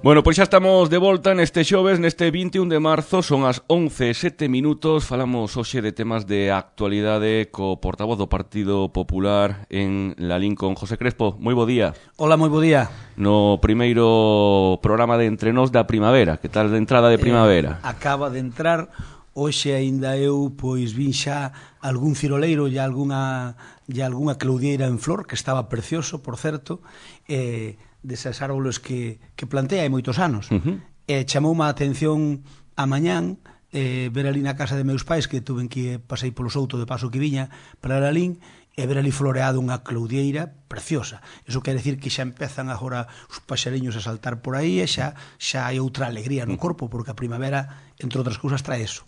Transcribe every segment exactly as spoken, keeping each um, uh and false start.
Bueno, pois xa estamos de volta neste xoves, neste vinte e un de marzo, son as once e sete minutos, falamos hoxe de temas de actualidade co portavoz do Partido Popular en Lalín con José Crespo. Moi bo día. Hola, moi bo día. No primeiro programa de Entre Nós da primavera, que tal de entrada de primavera? Eh, acaba de entrar, hoxe aínda eu pois vin xa algún ciroleiro e algunha, e algunha claudieira en flor, que estaba precioso, por certo, e... Eh, desas árboles que, que plantei hai moitos anos. Uh-huh. E chamoume a atención a mañán eh, ver ali na casa de meus pais, que tuven que pasei polo souto de paso que viña para Lalín, e ver ali floreado unha claudieira preciosa. Iso quere decir que xa empezan agora os paxariños a saltar por aí e xa, xa hai outra alegría no corpo, porque a primavera, entre outras cousas, trae eso.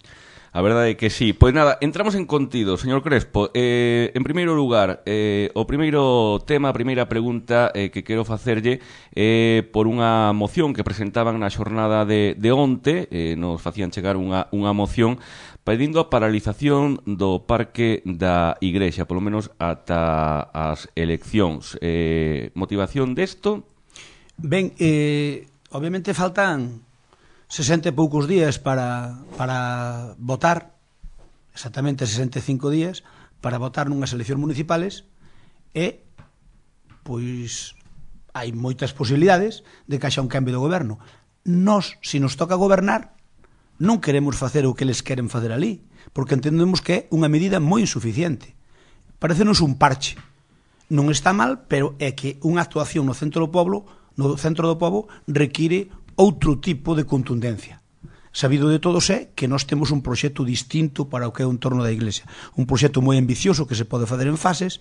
A verdade é que sí. Pois nada, entramos en contido, señor Crespo. Eh, en primeiro lugar, eh, o primeiro tema, a primeira pregunta eh, que quero facerlle eh, por unha moción que presentaban na xornada de, de onte, eh, nos facían chegar unha, unha moción pedindo a paralización do Parque da Igrexa, polo menos ata as eleccións. Eh, motivación desto? Ben, eh, obviamente faltan sesenta e poucos días para, para votar, exactamente sesenta e cinco días, para votar nunhas eleccións municipales, e, pois, hai moitas posibilidades de que haxa un cambio de goberno. Nós, se nos toca gobernar, non queremos facer o que eles queren facer ali, porque entendemos que é unha medida moi insuficiente. Parécenos un parche. Non está mal, pero é que unha actuación no centro do pobo, no centro do pobo require outro tipo de contundencia. Sabido de todos é que nós temos un proxecto distinto para o que é o entorno da Iglesia. Un proxecto moi ambicioso que se pode facer en fases,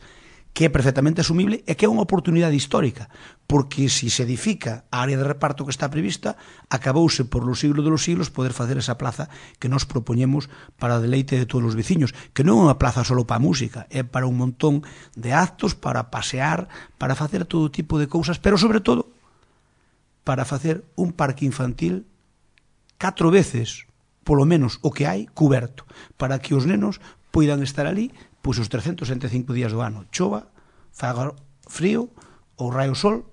que é perfectamente asumible e que é unha oportunidade histórica, porque se se edifica a área de reparto que está prevista, acabouse por los siglos de los siglos poder facer esa plaza que nos propoñemos para o deleite de todos os veciños, que non é unha plaza só para a música, é para un montón de actos, para pasear, para facer todo tipo de cousas, pero sobre todo para facer un parque infantil catro veces, polo menos, o que hai cuberto, para que os nenos poidan estar ali pois os trescentos sesenta e cinco días do ano, chova, faga frío, ou raio sol,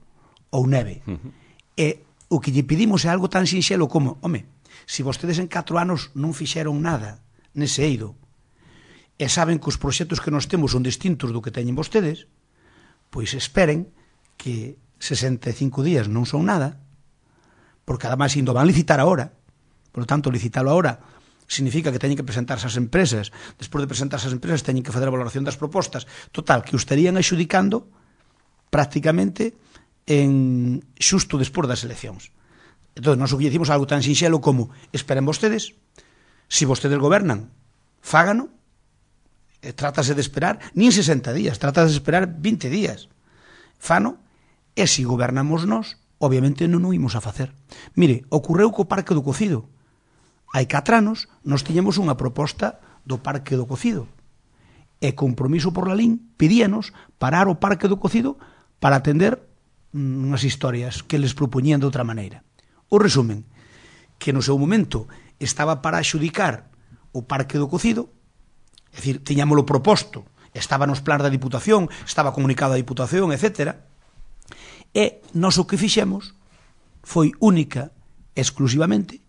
ou neve. Uh-huh. E o que lle pedimos é algo tan sinxelo como, home, se vostedes en catro anos non fixeron nada nese eido, e saben que os proxectos que nós temos son distintos do que teñen vostedes, pois esperen que sesenta e cinco días non son nada, porque además indo van licitar agora, por lo tanto licitalo agora significa que teñen que presentarse as empresas, despois de presentarse as empresas teñen que fazer a valoración das propostas, total, que o estarían adxudicando prácticamente en xusto despois das eleccións. Entón, nós o que dicimos algo tan sinxelo como esperen vostedes, se vostedes gobernan, fágano, e trátase de esperar, nin sesenta días, trátase de esperar vinte días, fano. E se gobernamos nós, obviamente non o imos a facer. Mire, ocorreu co Parque do Cocido. Hai catro anos, nós tiñemos unha proposta do Parque do Cocido. E Compromiso por Lalín pedíanos parar o Parque do Cocido para atender unhas historias que les propoñían de outra maneira. O resumen, que no seu momento estaba para axudicar o Parque do Cocido, é dicir, tiñámoslo proposto, estaba nos plans da Diputación, estaba comunicado a Diputación, etcétera, e nós o que fixemos foi única, exclusivamente,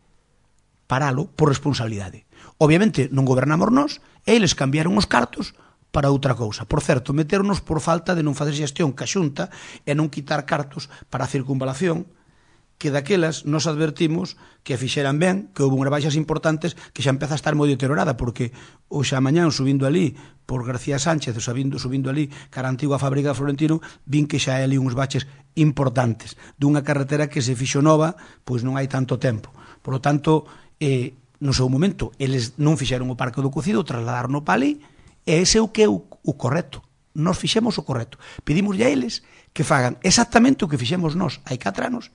paralo por responsabilidade. Obviamente non gobernamos nós, e eles cambiaron os cartos para outra cousa. Por certo, meternos por falta de non facer xestión ca Xunta e non quitar cartos para a circunvalación, que daquelas nos advertimos que fixeran ben, que houve unhas baixas importantes que xa empeza a estar moi deteriorada, porque hoxe a mañán subindo ali por García Sánchez, subindo, subindo ali cara a antigua fábrica de Florentino, vin que xa hai ali uns baches importantes dunha carretera que se fixo nova, pois non hai tanto tempo. Por lo tanto, eh, no seu momento, eles non fixeron o Parque do Cocido, trasladaron para ali, e ese é o que é o, o correcto. Nos fixemos o correcto. Pedimos a eles que fagan exactamente o que fixemos nós hai catro anos,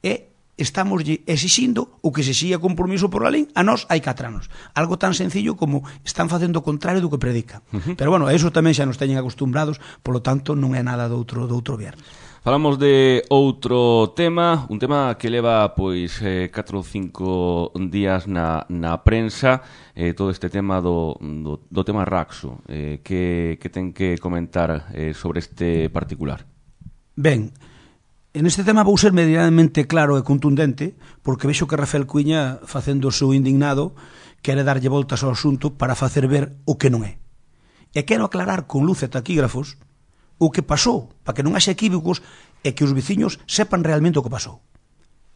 e estamos exixindo o que se xía Compromiso por Lalín a nós hai catro anos. Algo tan sencillo como están facendo o contrario do que predican. Uh-huh. Pero bueno, eso tamén xa nos teñen acostumbrados, polo tanto non é nada do outro, do outro viernes. Falamos de outro tema, un tema que leva pois eh, catro ou cinco días na, na prensa, eh, todo este tema do, do, do tema Raxo, eh, que, que ten que comentar eh, sobre este particular. Ben, en este tema vou ser medianamente claro e contundente, porque vexo que Rafael Cuiña, facendo o seu indignado, quere darlle voltas ao asunto para facer ver o que non é. E quero aclarar con luz e taquígrafos o que pasou, para que non haxa equívocos e que os veciños sepan realmente o que pasou.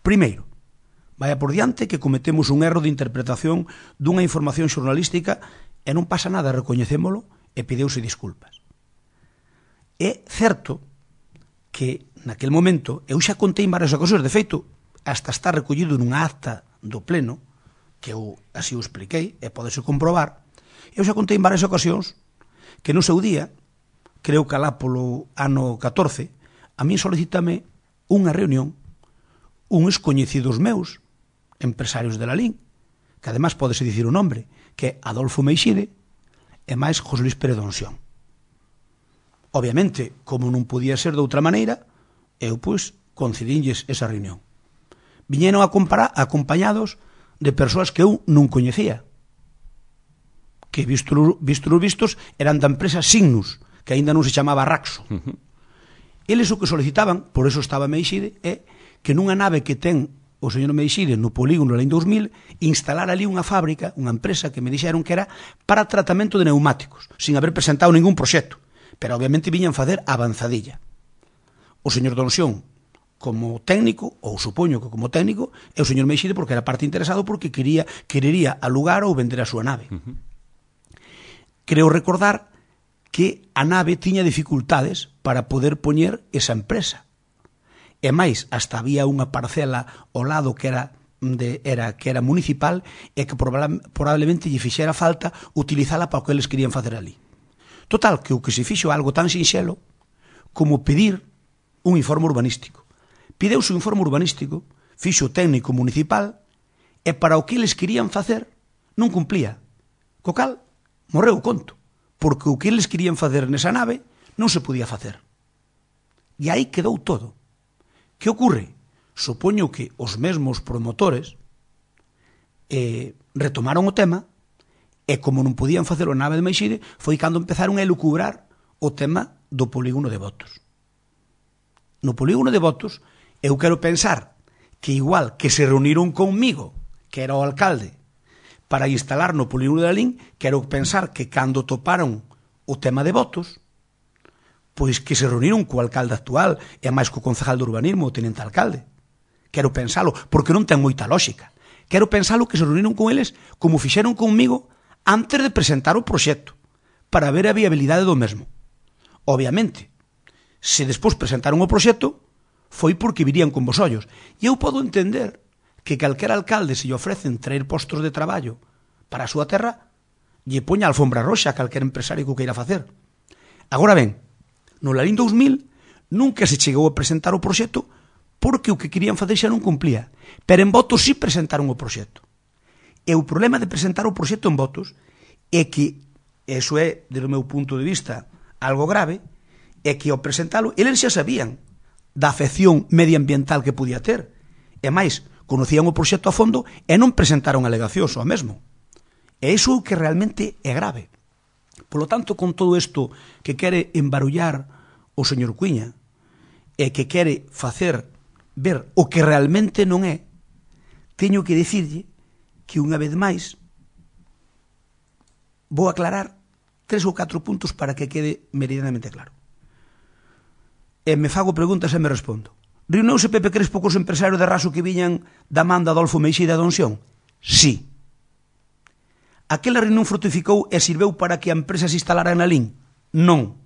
Primeiro, vaya por diante que cometemos un erro de interpretación dunha información xornalística e non pasa nada, recoñecémolo e pideuse disculpas. É certo que naquel momento eu xa contei en varias ocasións, de feito, hasta está recollido nunha acta do pleno, que eu así o expliquei, e podese comprobar, eu xa contei en varias ocasións que no seu día, creo que alá polo ano catorce, a mí solicítame unha reunión uns coñecidos meus, empresarios de Lalín, que además podese dicir o nombre, que é Adolfo Meixide e máis José Luis Pérez Donsión. Obviamente, como non podía ser de outra maneira, eu, pois, concedínlles esa reunión. Viñeron a comparar, acompañados de persoas que eu non coñecía, que, visto, visto os vistos, eran da empresa Signus, que aínda non se chamaba Raxo. Uh-huh. Eles o que solicitaban, por eso estaba Meixide, é que nunha nave que ten o señor Meixide no polígono Lalín dous mil, instalar ali unha fábrica, unha empresa que me dixeron que era para tratamento de neumáticos, sin haber presentado ningún proxecto. Pero obviamente viñan facer avanzadilla. O señor Donsión, como técnico, ou supoño que como técnico, e o señor Meixide porque era parte interesado porque quería, querería alugar ou vender a súa nave. Uh-huh. Creo recordar que a nave tiña dificultades para poder poñer esa empresa. E máis, hasta había unha parcela ao lado que era de, era, que era municipal e que probablemente lle fixera falta utilizala para o que eles querían facer ali. Total, que o que se fixo algo tan sinxelo como pedir un informe urbanístico. Pideuse un informe urbanístico, fixo o técnico municipal e para o que eles querían facer non cumplía. Co cal, morreu o conto, porque o que eles querían facer nesa nave non se podía facer. E aí quedou todo. Que ocorre? Supoño que os mesmos promotores eh, retomaron o tema e como non podían facer o nave de Meixide foi cando empezaron a elucubrar o tema do polígono de Botos. No polígono de Botos eu quero pensar que igual que se reuniron conmigo, que era o alcalde, para instalar no polígono de Lalín, quero pensar que cando toparon o tema de Botos, pois que se reuniron co alcalde actual e máis co concejal de urbanismo, o tenente alcalde. Quero pensalo, porque non ten moita lógica. Quero pensalo que se reuniron con eles como fixeron conmigo antes de presentar o proxecto, para ver a viabilidade do mesmo. Obviamente, se despois presentaron o proxecto, foi porque virían con vos ollos. E eu podo entender que calquera alcalde se lle ofrecen traer postos de traballo para a súa terra, lle poña a alfombra roxa a calquera empresario que o queira facer. Agora ben, no Lalín dous mil nunca se chegou a presentar o proxecto porque o que querían facer xa non cumplía. Pero en Botos sí presentaron o proxecto. E o problema de presentar o proxecto en Botos é que, eso é, desde o meu punto de vista, algo grave, é que ao presentalo, eles xa sabían da afección medioambiental que podía ter. E máis, conocían o proxecto a fondo e non presentaron alegacións ao mesmo. E iso é o que realmente é grave. Por lo tanto, con todo isto que quere embarullar o señor Cuiña e que quere facer ver o que realmente non é, teño que dicirlle que unha vez máis vou aclarar tres ou catro puntos para que quede meridianamente claro. E me fago preguntas e me respondo. Reuniuse Pepe Crespo cos empresarios de Raxo que viñan da man de Adolfo Meixide a Donsión? Sí. Aquela reunión frutificou e sirveu para que a empresa se instalara en Lalín? Non.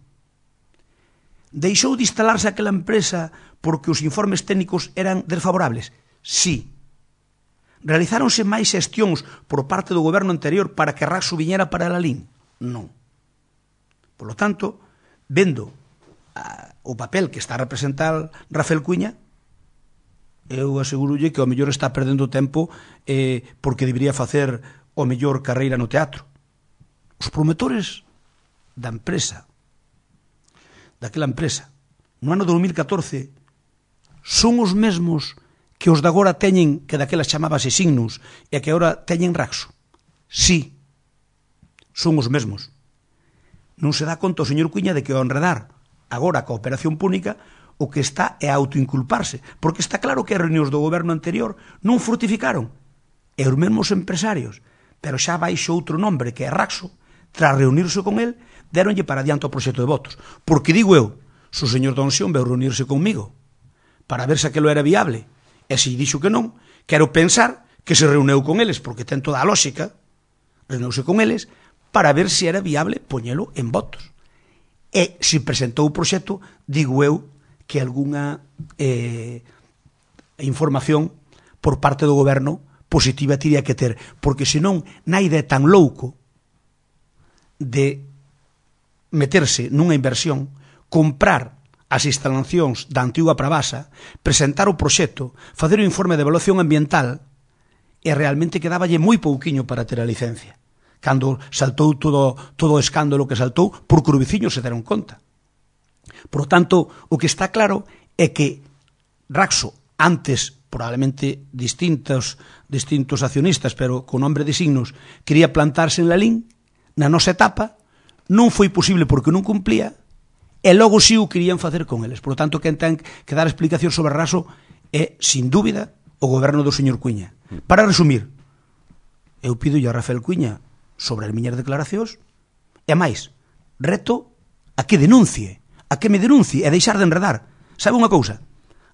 Deixou de instalarse aquela empresa porque os informes técnicos eran desfavorables? Sí. Realizáronse máis xestións por parte do goberno anterior para que Raxo viñera para Lalín? Non. Por lo tanto, vendo a, o papel que está a representar Rafael Cuiña, eu asegurolle que ao mellor está perdendo tempo eh, porque debería facer o mellor carreira no teatro. Os promotores da empresa, daquela empresa, no ano dous mil catorce, son os mesmos que os de agora teñen, que daquela chamábase Signus, e que agora teñen Raxo. Sí, son os mesmos. Non se dá conta o señor Cuiña de que ao enredar agora coa operación púnica, o que está é autoinculparse, porque está claro que as reunións do goberno anterior non frutificaron. E os mesmos empresarios, pero xa baixo outro nombre que é Raxo, tras reunirse con el, deronlle para adiante o proxecto de votos. Porque digo eu, se o señor Donsión veu reunirse conmigo para ver se aquilo era viable, e se dixo que non, quero pensar que se reuneu con eles, porque ten toda a lógica, reuneuse con eles, para ver se era viable poñelo en votos. E se presentou o proxecto, digo eu que algunha eh, información por parte do goberno positiva tiría que ter, porque senón na idea tan louco de meterse nunha inversión, comprar as instalacións da antiga Pravasa, presentar o proxecto, facer o informe de evaluación ambiental, e realmente quedáballe moi pouquiño para ter a licencia. Cando saltou todo, todo o escándalo que saltou, porque os veciños se deron conta. Por lo tanto, o que está claro é que Raxo, antes, probablemente distintos, distintos accionistas, pero con nombre de signos, quería plantarse en Lalín, na nosa etapa, non foi posible porque non cumplía, e logo si o querían facer con eles. Por lo tanto, quen ten que dar explicación sobre Raxo é, sin dúbida, o goberno do señor Cuíña. Para resumir, eu pido a Rafael Cuíña sobre as miñas declaracións, e máis, reto a que denuncie, a que me denuncie e deixar de enredar. Sabe unha cousa?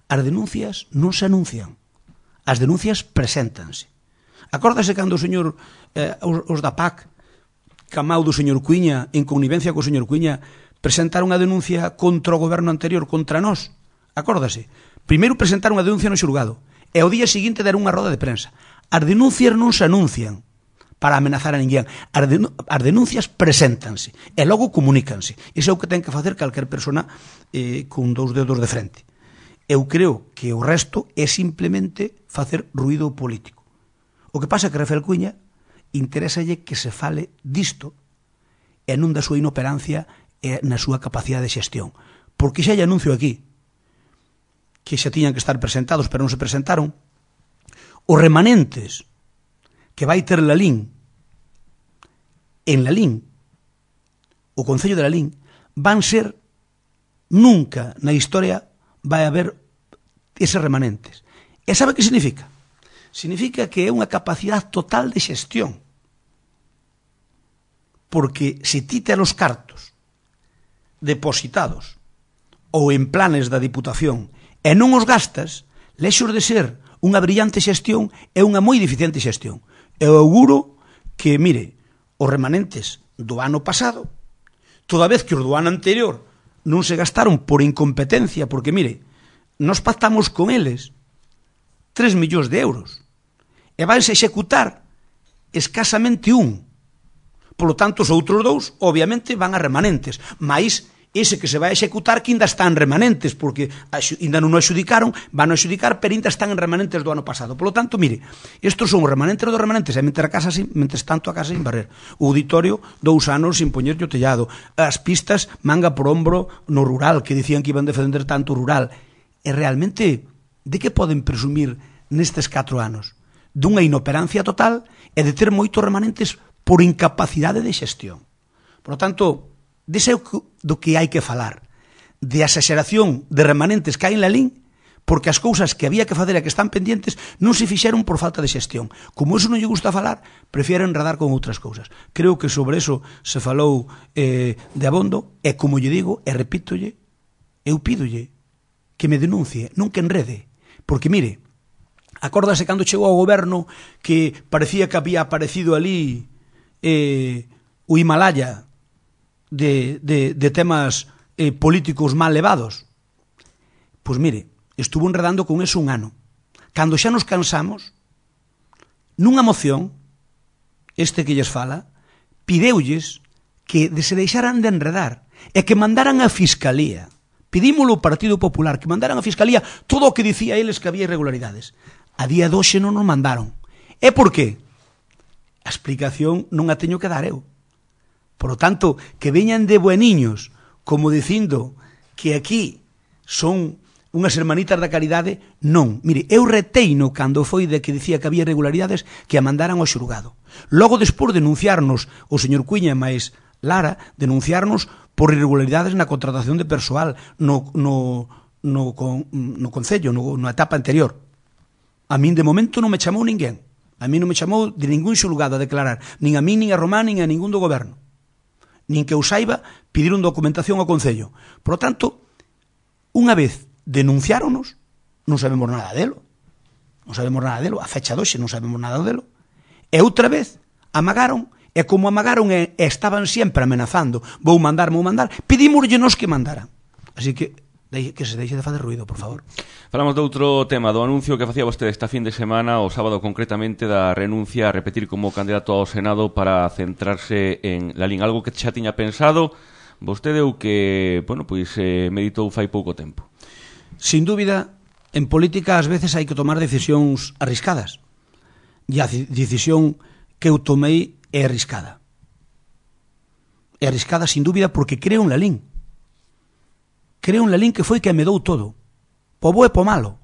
As denuncias non se anuncian, as denuncias preséntanse. Acórdase cando o señor, eh, os, os da P A C, camau do señor Cuíña, en connivencia co señor Cuíña, presentaron a denuncia contra o goberno anterior, contra nós? Acórdase? Primeiro presentaron a denuncia no xulgado, e ao día seguinte deron unha roda de prensa. As denuncias non se anuncian para amenazar a ninguén. As, denun as denuncias preséntanse e logo comunícanse. Iso é o que ten que facer calquer persona eh, con dous dedos de frente. Eu creo que o resto é simplemente facer ruído político. O que pasa é que Rafael Cuíña interésalle que se fale disto e non da súa inoperancia e na súa capacidade de xestión. Porque xa lle anuncio aquí que xa tiñan que estar presentados, pero non se presentaron. Os remanentes que vai ter Lalín, en Lalín, o Concello de Lalín, van ser, nunca na historia vai haber eses remanentes. E sabe que significa? Significa que é unha capacidade total de xestión. Porque se ti tes os cartos depositados ou en planes da Diputación e non os gastas, lexos de ser unha brillante xestión é unha moi deficiente xestión. Eu auguro que, mire, os remanentes do ano pasado, toda vez que os do ano anterior non se gastaron por incompetencia, porque, mire, nos pactamos con eles tres millóns de euros e vanse executar escasamente un. Por lo tanto, os outros dous, obviamente, van a remanentes, mais ese que se vai a executar que ainda están remanentes, porque ainda non o adxudicaron, van a adxudicar, pero ainda están en remanentes do ano pasado. Por lo tanto, mire, estos son os remanentes dos remanentes, e mentre, a casa sin, mentre tanto a casa sin barrer. O auditorio, dous anos sin poñerlle o tellado. As pistas, manga por hombro no rural, que dicían que iban defender tanto o rural. E realmente, de que poden presumir nestes catro anos? Dunha inoperancia total e de ter moitos remanentes por incapacidade de xestión. Por lo tanto, dese do que hai que falar, de a exageración de remanentes que hai en Lalín, porque as cousas que había que facer e que están pendientes non se fixeron por falta de xestión. Como eso non lle gusta falar, prefieren enredar con outras cousas. Creo que sobre eso se falou eh, de abondo, e como lle digo, e repítolle, eu pídolle que me denuncie, non que enrede, porque mire, acórdase cando chegou ao goberno que parecía que había aparecido ali eh, o Himalaya, De, de, de temas eh, políticos mal levados. Pois mire, estuvo enredando con eso un ano. Cando xa nos cansamos, nunha moción, este que lles fala, pideulles que se deixaran de enredar e que mandaran a Fiscalía. Pedímolo ao Partido Popular, que mandaran a Fiscalía todo o que dicía eles que había irregularidades. A día de hoxe non nos mandaron. E por qué? A explicación non a teño que dar eu. Por lo tanto, que veñan de bueniños, como dicindo que aquí son unhas hermanitas da caridade, non. Mire, eu reteino cando foi de que dicía que había irregularidades que a mandaran ao xulgado. Logo, despois, denunciarnos o señor Cuíña máis Lara, denunciarnos por irregularidades na contratación de persoal, no, no, no, con, no Concello, no, na etapa anterior. A min de momento non me chamou ninguén. A min non me chamou de ningún xulgado a declarar, nin a min, nin a Román, nin a ningún do goberno. Nin que eu saiba, pediron documentación ao Concello. Por lo tanto, unha vez denunciáronos, non sabemos nada delo. Non sabemos nada delo. A fecha doxe non sabemos nada delo. E outra vez, amagaron, e como amagaron e, e estaban sempre amenazando, vou mandar, vou mandar, pedímoslle-nos que mandaran. Así que que se deixe de fazer ruido, por favor. Falamos de outro tema, do anuncio que facía vostede esta fin de semana, o sábado concretamente, da renuncia a repetir como candidato ao Senado para centrarse en Lalín, algo que xa tiña pensado vostede ou que, bueno, pois eh, meditou fai pouco tempo. Sin dúbida, en política ás veces hai que tomar decisións arriscadas. E a decisión que eu tomei é arriscada. É arriscada, sin dúbida, porque creo en Lalín. Creo en Lalín que foi que me dou todo, po bo e po malo.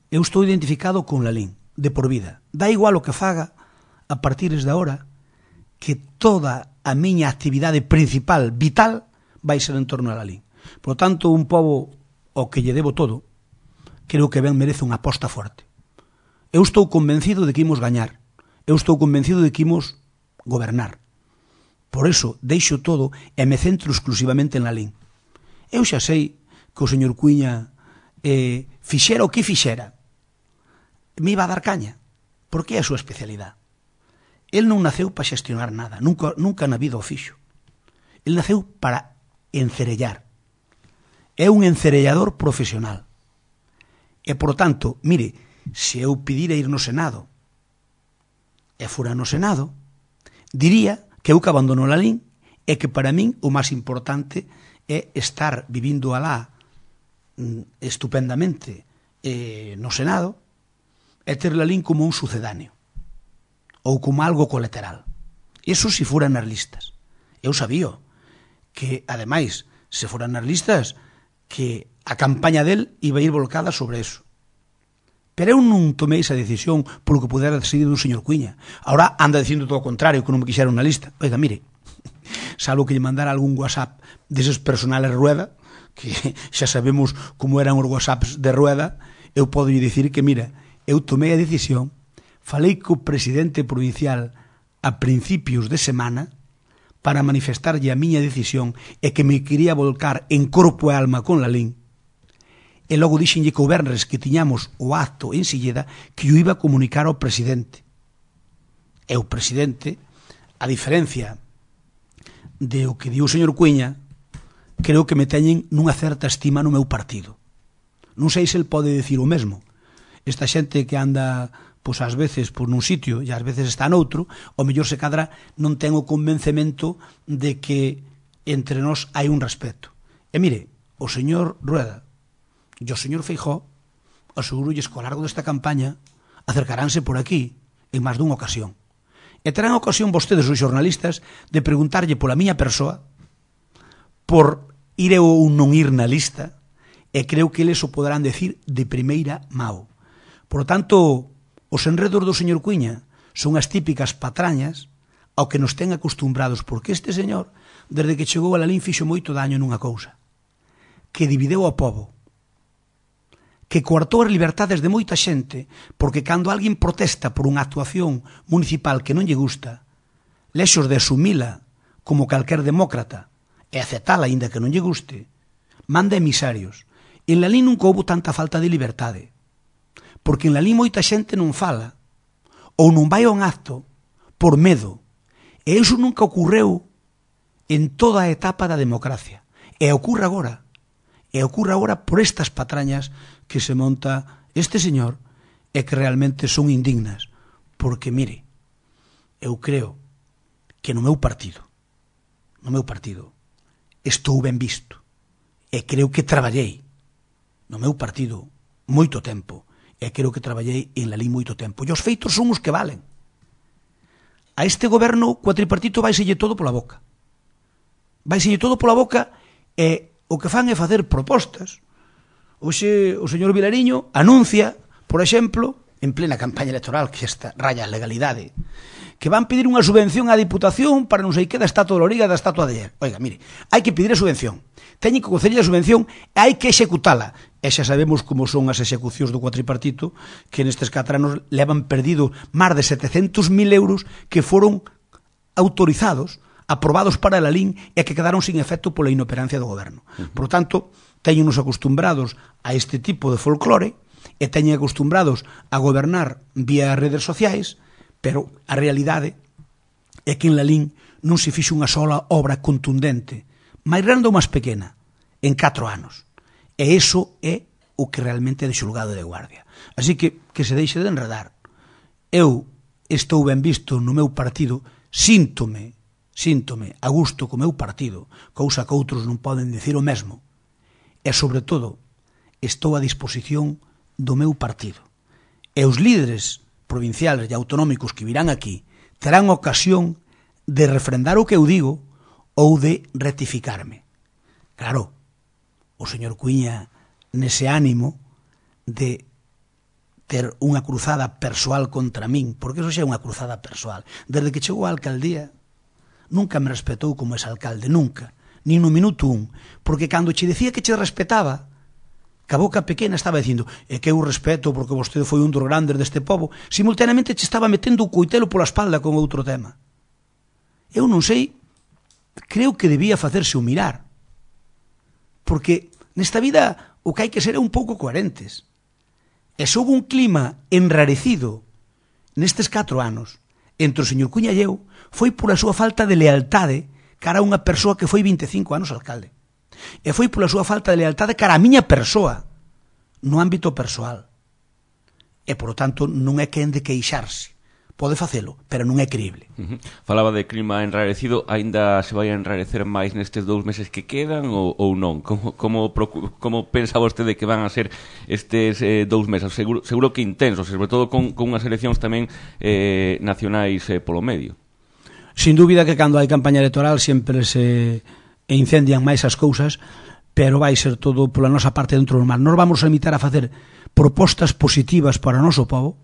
Eu estou identificado con Lalín, de por vida. Dá igual o que faga a partir de ahora, que toda a miña actividade principal, vital, vai ser en torno a Lalín. Por lo tanto, un pobo ao que lle debo todo, creo que ben merece unha aposta forte. Eu estou convencido de que imos gañar. Eu estou convencido de que imos gobernar. Por eso, deixo todo e me centro exclusivamente en Lalín. Eu xa sei que o señor Cuíña eh, fixera o que fixera. Me iba a dar caña, porque é a súa especialidade. El non naceu para xestionar nada, nunca, nunca na vida o fixo. El naceu para encerellar. É un encerellador profesional. E, por tanto, mire, se eu pedira ir no Senado e fora no Senado, diría que eu que abandono Lalín e que para min o máis importante é estar vivindo alá estupendamente eh, no Senado e ter Lalín como un sucedáneo ou como algo colateral. Eso se fora nas listas. Eu sabía que, ademais, se foran nas listas, que a campaña del iba a ir volcada sobre eso. Pero eu non tomei esa decisión polo que pudera decidir un señor Cuíña. Ahora anda dicindo todo o contrario, que non me quixeron na lista. Oiga, mire, salvo que lle mandara algún WhatsApp deses personales Rueda, que xa sabemos como eran os WhatsApps de Rueda, eu podo lle dicir que, mira, eu tomei a decisión, falei co presidente provincial a principios de semana para manifestarlle a miña decisión e que me quería volcar en corpo e alma con Lalín. E logo dixenlle que o venres que tiñamos o acto en Silleda que o iba a comunicar ao presidente. E o presidente, a diferencia de o que di o señor Cuíña, creo que me teñen nunha certa estima no meu partido. Non sei se el pode dicir o mesmo. Esta xente que anda, pois ás veces por nun sitio e ás veces está noutro, o mellor se cadra non ten o convencemento de que entre nós hai un respeto. E mire, o señor Rueda e o señor Feijóo, asegurolles que ao largo desta campaña acercaránse por aquí en máis dunha ocasión. E terán ocasión vostedes, os xornalistas, de preguntarlle pola miña persoa, por ir ou non ir na lista, e creo que eles o poderán decir de primeira mao. Por lo tanto, os enredos do señor Cuíña son as típicas patrañas ao que nos ten acostumbrados, porque este señor, desde que chegou a Lalín, fixo moito daño nunha cousa, que divideu ao pobo, que coartou as liberdades de moita xente, porque cando alguén protesta por unha actuación municipal que non lle gusta, lexos de asumila como calquer demócrata e aceptala aínda que non lle guste, manda emisarios. En Lalín nunca houve tanta falta de liberdade, porque en Lalín moita xente non fala ou non vai a un acto por medo, e iso nunca ocorreu en toda a etapa da democracia, e ocorre agora, e ocorre agora por estas patrañas que se monta este señor e que realmente son indignas, porque, mire, eu creo que no meu partido, no meu partido, estou ben visto, e creo que traballei no meu partido moito tempo, e creo que traballei en Lalín moito tempo, e os feitos son os que valen. A este goberno cuatripartito vaiselle todo pola boca, vaiselle todo pola boca, e o que fan é facer propostas. Oxe, o señor Vilariño anuncia, por exemplo, en plena campaña electoral, que esta raya a legalidade, que van pedir unha subvención á Diputación para non sei que da Estatua de Loriga da Estatua de Ayer. Oiga, mire, hai que pedir a subvención, teñen que conceder a subvención e hai que executala. E xa sabemos como son as execucións do cuatripartito, que nestes catro anos levan perdido máis de setecentos mil euros que foron autorizados, aprobados para a Lalín e que quedaron sin efecto pola inoperancia do goberno. Uh-huh. Por tanto, teñenos acostumbrados a este tipo de folclore e teñen acostumbrados a gobernar vía redes sociais, pero a realidade é que en Lalín non se fixo unha sola obra contundente, máis grande ou máis pequena, en catro anos. E iso é o que realmente é de xulgado de guardia. Así que, que se deixe de enredar. Eu estou ben visto no meu partido, síntome, síntome a gusto co meu partido, cousa que outros non poden dicir o mesmo. E, sobre todo, estou a disposición do meu partido. E os líderes provinciales e autonómicos que virán aquí terán ocasión de refrendar o que eu digo ou de rectificarme. Claro, o señor Cuíña nese ánimo de ter unha cruzada persoal contra min, porque eso xa é unha cruzada persoal. Desde que chegou á alcaldía nunca me respetou como ese alcalde, nunca, ni no minuto un, porque cando che decía que che respetaba, que a boca pequena estaba dicindo é que eu respeto porque vostede foi un dos grandes deste pobo, simultaneamente che estaba metendo o coitelo pola espalda con outro tema. Eu non sei, creo que debía facerse o mirar, porque nesta vida o que hai que ser é un pouco coherentes. E se houve un clima enrarecido nestes catro anos entre o señor Cuíña e eu, foi por a súa falta de lealtade cara a unha persoa que foi vinte e cinco anos alcalde. E foi pola súa falta de lealtade cara a miña persoa no ámbito persoal. E, por lo tanto, non é quen de queixarse. Pode facelo, pero non é creíble. Uh-huh. Falaba de clima enrarecido, aínda se vai a enrarecer máis nestes dous meses que quedan ou, ou non? Como, como, como pensa vostede que van a ser estes eh, dous meses? Seguro, seguro que intensos, sobre todo con, con unhas eleccións tamén eh, nacionais eh, polo medio. Sin dúbida que cando hai campaña electoral sempre se e incendian máis as cousas, pero vai ser todo pola nosa parte dentro do normal. Nós vamos a limitar a facer propostas positivas para o noso povo,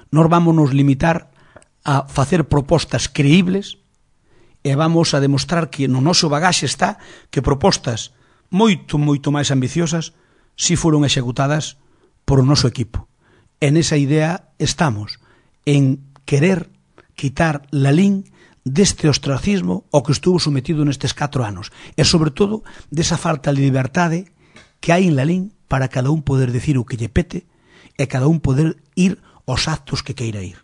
nós vamos nos limitar a facer propostas creíbles e vamos a demostrar que no noso bagaxe está que propostas moito, moito máis ambiciosas si foron executadas por o noso equipo. En esa idea estamos, en querer quitar Lalín deste ostracismo ao que estuvo sometido nestes catro anos e, sobre todo, desa falta de liberdade que hai en Lalín para cada un poder decir o que lle pete e cada un poder ir aos actos que queira ir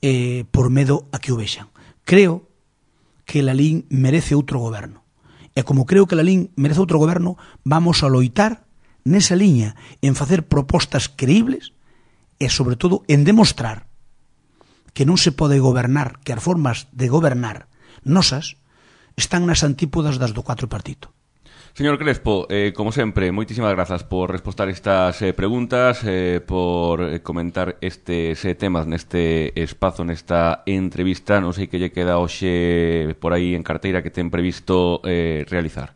eh, por medo a que o vexan. Creo que Lalín merece outro goberno e como creo que Lalín merece outro goberno, vamos a loitar nesa liña en facer propostas creíbles e, sobre todo, en demostrar que non se pode gobernar, que as formas de gobernar nosas están nas antípodas das do cuatro partido. Señor Crespo, eh, como sempre, moitísimas grazas por respostar estas eh, preguntas, eh, por comentar estes eh, temas neste espazo, nesta entrevista. Non sei que lle queda hoxe por aí en carteira que ten previsto eh, realizar.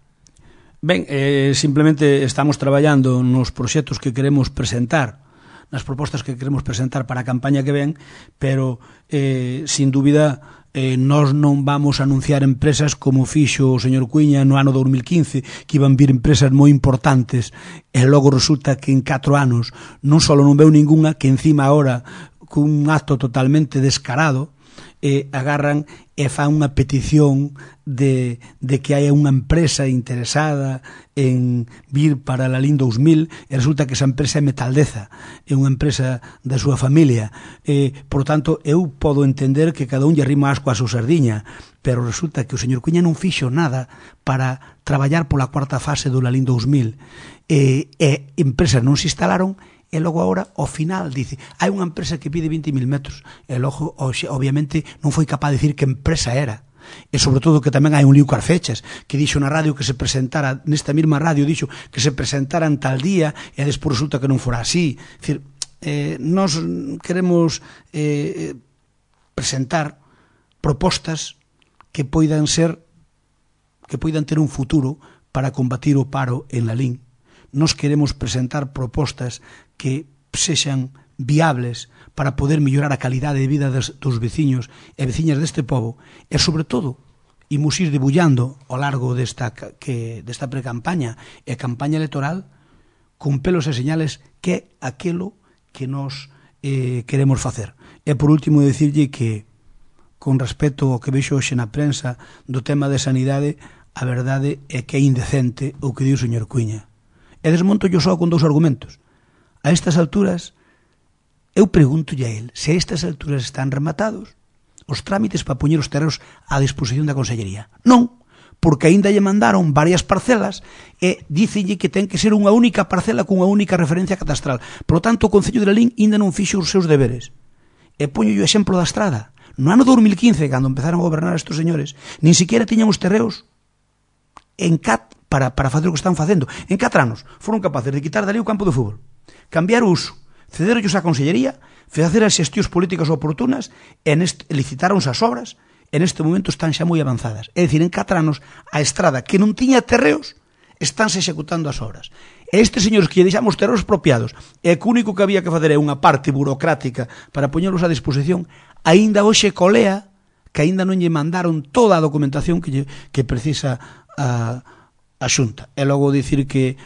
Ben, eh, simplemente estamos traballando nos proxectos que queremos presentar, nas propostas que queremos presentar para a campaña que ven, pero, eh, sin dúbida, eh, nós non vamos a anunciar empresas como fixo o señor Cuíña no ano dos mil quince, que iban vir empresas moi importantes, e logo resulta que en catro anos non só non veu ninguna, que encima ahora, cun acto totalmente descarado, eh, agarran e fan unha petición de, de que hai unha empresa interesada en vir para a Lalín dous mil e resulta que esa empresa é Metaldeza, é unha empresa da súa familia. Eh, por tanto, eu podo entender que cada un lle rima asco a súa sardiña, pero resulta que o señor Cuíña non fixo nada para traballar pola cuarta fase do Lalín dous mil e, e empresas non se instalaron. E logo agora, ao final, dice hai unha empresa que pide vinte mil metros e logo, obviamente, non foi capaz de dicir que empresa era. E sobre todo que tamén hai un lío coas fechas, que dixo na radio que se presentara, nesta mesma radio dixo que se presentaran tal día e despois resulta que non fora así. É dicir, eh, nós queremos eh, presentar propostas que poidan ser, que poidan ter un futuro para combatir o paro en Lalín. Nos queremos presentar propostas que sexan viables para poder mellorar a calidade de vida dos, dos veciños e veciñas deste pobo, e sobre todo imos ir debullando ao largo desta, que, desta precampaña e campaña electoral con pelos e señales que é aquilo que nos eh, queremos facer. E por último decirlle que con respecto ao que vexo hoxe na prensa do tema de sanidade, a verdade é que é indecente o que di o señor Cuíña. E desmonto yo só con dous argumentos. A estas alturas, eu preguntolle a él se a estas alturas están rematados os trámites para poñer os terreos á disposición da Consellería. Non, porque aínda lle mandaron varias parcelas e dícenlle que ten que ser unha única parcela cunha única referencia catastral. Por lo tanto, o Concello de Lalín aínda non fixo os seus deberes. E poño o exemplo da estrada. No ano dos mil quince, cando empezaron a gobernar estes señores, nin siquiera tiñan os terreos en cat para, para facer o que están facendo. En catro anos foron capaces de quitar dali o campo de fútbol, cambiar o uso, cederollos á Consellería, facer as xestións políticas oportunas e neste, licitaronse as obras, e neste momento están xa moi avanzadas. É dicir, en catro anos a estrada que non tiña terreos estánse executando as obras. E estes señores que lle deixamos terreos expropiados e que o único que había que fazer é unha parte burocrática para poñelos á disposición, aínda hoxe colea que aínda non lle mandaron toda a documentación que, lle, que precisa a a Xunta. E logo dicir que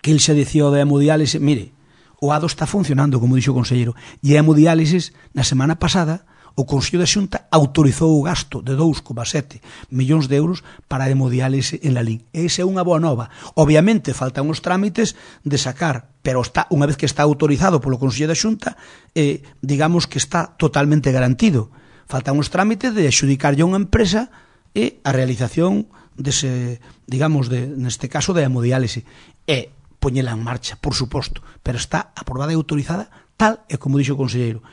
que el se dicía o da hemodiálise, mire, o A D O está funcionando, como dixo o conselleiro, e a hemodiálisis, na semana pasada, o Consello da Xunta autorizou o gasto de dous coma sete millóns de euros para a hemodiálise en Lalín. E esa é unha boa nova. Obviamente, faltan os trámites de sacar, pero está, unha vez que está autorizado polo Consello da Xunta, eh, digamos que está totalmente garantido. Faltan os trámites de adxudicarlle a unha empresa e a realización dese, digamos, de, neste caso de hemodiálise, e poñela en marcha, por suposto, pero está aprobada e autorizada tal e como dixo o conselleiro.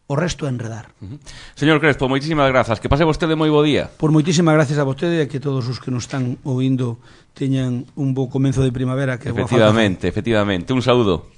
O resto é enredar. Uh-huh. Señor Crespo, moitísimas grazas. Que pase vostede moi bo día. Por moitísimas gracias a vostede e que todos os que nos están ouvindo teñan un bo comenzo de primavera. Que efectivamente, efectivamente. Un saúdo.